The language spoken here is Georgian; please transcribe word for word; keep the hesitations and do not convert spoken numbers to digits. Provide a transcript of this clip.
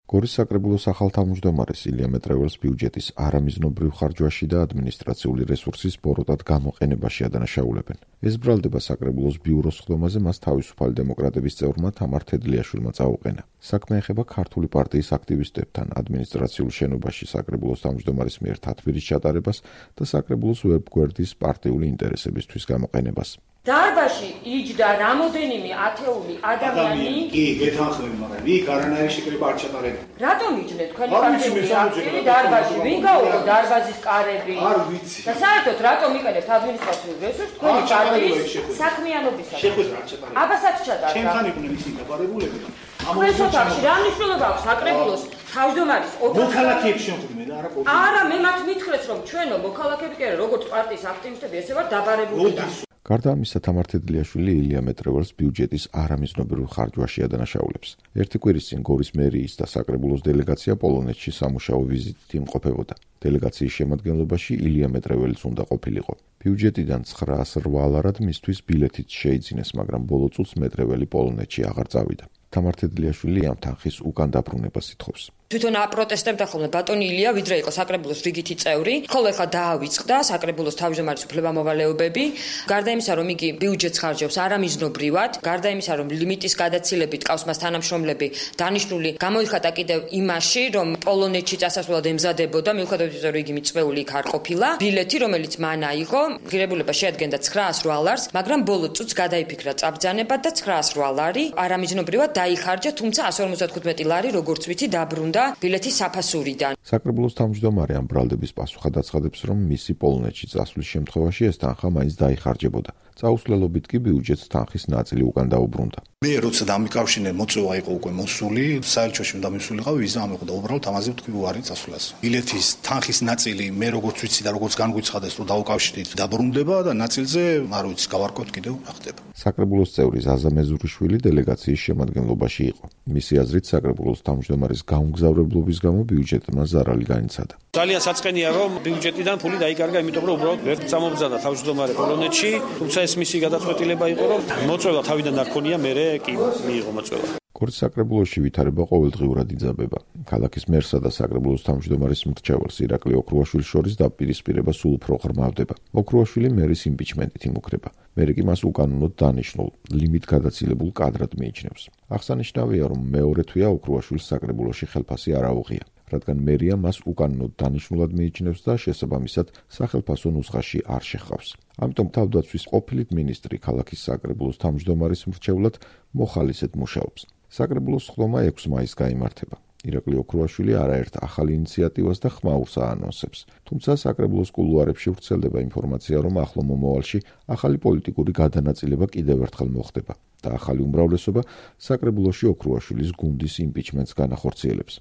გორის საკრებულოს ახალ თავმჯდომარეს ილია მეტრეველს ბიუჯეტის არამიზნობრივ ხარჯვაში და ადმინისტრაციული რესურსის ბოროტად გამოყენებაში ადანაშაულებენ. ეს ბრალდება საკრებულოს ბიუროს ხდომაზე მას თავისუფალი დემოკრატების წევრმა თამარ თედლიაშვილმა წაუყენა. საქმე ეხება ქართული პარტიის აქტივისტებთან ადმინისტრაციულ შენობაში საკრებულოს თავმჯდომარის მიერ თათბირის ჩატარებას და საკრებულოს ვებგვერდის პარტიული ინტერესებისთვის გამოყენებას. დარბაზში იჯდა რამოდენიმე ათეული ადამიანი. კი, გეთანხმები, მაგრამ იქ არანაირი შეკრება არ ჩატარებულა. რატომ იჯდნენ თქვენი პარტიული აქტივისტები დარბაზში? ვინ გაუყო დარბაზის კარები? არ ვიცი. და საერთოდ რატომ იყენებთ ადმინისტრაციულ რესურსს თქვენი პარტიის საქმიანობისათვის? შეხვედრა არ ჩატარებულა. აბასაც ჩატარდა. ჩემთან იყვნენ ისინი დაბარებულები. ეს ოთახში რა მნიშვნელობა აქვს საკრებულოს თავმჯდომარის ოთახში? მოქალაქეებს შეხვდნენ და არა პოლიტიკאים. არა, მე მათ მითხრეს რომ ჩვენო მოქალაქეები კი არა, როგორც პარტიის აქტივისტები, ესე ვარ დაბარებული. გარდა ამისა, თამარ თედლიაშვილი ილია მეტრეველს ბიუჯეტის არამიზნობრივ ხარჯვაში ადანაშაულებს. ერთი კვირის წინ გორის მერიის და საკრებულოს დელეგაცია პოლონეთში სამუშაო ვიზიტით იმყოფებოდა. დელეგაციის შემადგენლობაში ილია მეტრეველიც უნდა ყოფილიყო. ბიუჯეტიდან ცხრაას რვა ლარად მისთვის ბილეთიც შეიძინეს, მაგრამ ბოლო წუთს მეტრეველი პოლონეთში აღარ წავიდა. თამარ თედლიაშვილი ამ თანხის უკან დაბრუნებას ითხოვს. თვითონ აპროტესტებდა ხოლმე ბატონი ილია, ვიდრე იყო საკრებულოს რიგითი წევრი. ხოლო ეხლა დაავიწყდა საკრებულოს თავმჯდომარის უფლებამოვალეობები. გარდა იმისა, რომ იგი ბიუჯეტს ხარჯავს არამიზნობრივად, გარდა იმისა, რომ ლიმიტის გადაცილებით ყავს მას თანამშრომლები დანიშნული, გამოიხატა კიდევ იმაში, რომ პოლონეთში წასასვლელად ემზადებოდა, მიუხედავად იმისა, რომ იგი მიწვეული იქ არ ყოფილა. ბილეთი, რომელიც მან აიღო, ღირებულება შეადგენდა ცხრაას რვა ლარს, მაგრამ ბოლო წუთს გადაიფიქრა წაბრძანება და ცხრაას რვა ლარი არამიზნობრივად დაიხარჯა, თუმცა ასი ორმოცდათხუთმეტი ლარი, როგორც ვიცი, დაბრუნდა ბილეთის საფასურიდან. საკრებულოს თავმჯდომარე ამ ბრალდების პასუხად აცხადებს, რომ მისი პოლონეთში წასვლის შემთხვევაში ეს თანხა მაინც დაიხარჯებოდა. წაუსვლელობით კი ბიუჯეტს თანხის ნაწილი უკან დაუბრუნდა. მე როცა დამიკავშირე მოწვევა იყო უკვე მოსული, საელჩოში უნდა მისულიყავი, ვიზა ამეყოდა, უბრალოდ ამაზე ვთქვი უარი წასვლას. ბილეთის თანხის ნაწილი მე როგორც ვიცი და როგორც განგვიცხადეს, რომ დაუკავშირდით, დაბრუნდება და ნაწილზე არ ვიცი, გავარკვევთ კიდევ რა ხდება. საკრებულოს წევრი ზაზა მეზურიშვილი დელეგაციის შემადგენლობაში იყო. მისი აზრით, საკრებულოს თავმჯდომარის გაუმგზავრებლობის გამო ბიუჯეტმა ზარალი განიცადა. ძალიან საწყენია, რომ ბიუჯეტიდან ფული დაიკარგა, იმიტომ რომ უბრალოდ ვერ წამობძანა თავმჯდომარე პოლონეთში, თუმცა ეს მისი გადაწყვეტილება იყო, რომ მოწვევა თავიდან არ ქონია, მერე კი მიიღო მოწვევა. გორის საკრებულოში ვითარება ყოველდღიურად იძაბება. ქალაქის მერსა და საკრებულოს თავმჯდომარის მრჩეველს ირაკლი ოქრუაშვილის შორის დაპირისპირება სულ უფრო ღრმავდება. ოქრუაშვილი მერის იმპიჩმენტით იმუქრება. მერე კი მას უკანონოდ დანიშნულ, ლიმიტ გადაცილებულ კადრად მიიჩნევს. აღსანიშნავია, რომ მეორე თვეა ოქრუაშვილს საკრებულოში ხელფასი არ აუღია, რადგან მერია მას უკანონოდ დანიშნულად მიიჩნევს და შესაბამისად სახელფასო ნუსხაში არ შეჰყავს. ამიტომ თავდაცვის ყოფილი მინისტრი ქალაქის საკრებულოს თავმჯდომარის მრჩევლად მოხალისედ მუშაობს. საკრებულოს ხდომა ექვსი მაისს გაიმართება. ირაკლი ოქრუაშვილი არაერთ ახალ ინიციატივას და ხმაურს აანონსებს. თუმცა საკრებულოს კულუარებში ვრცელდება ინფორმაცია, რომ ახლო მომავალში ახალი პოლიტიკური გადანაწილება კიდევ ერთხელ მოხდება და ახალი უმრავლესობა საკრებულოში ოქრუაშვილის გუნდის იმპიჩმენტს განახორციელებს.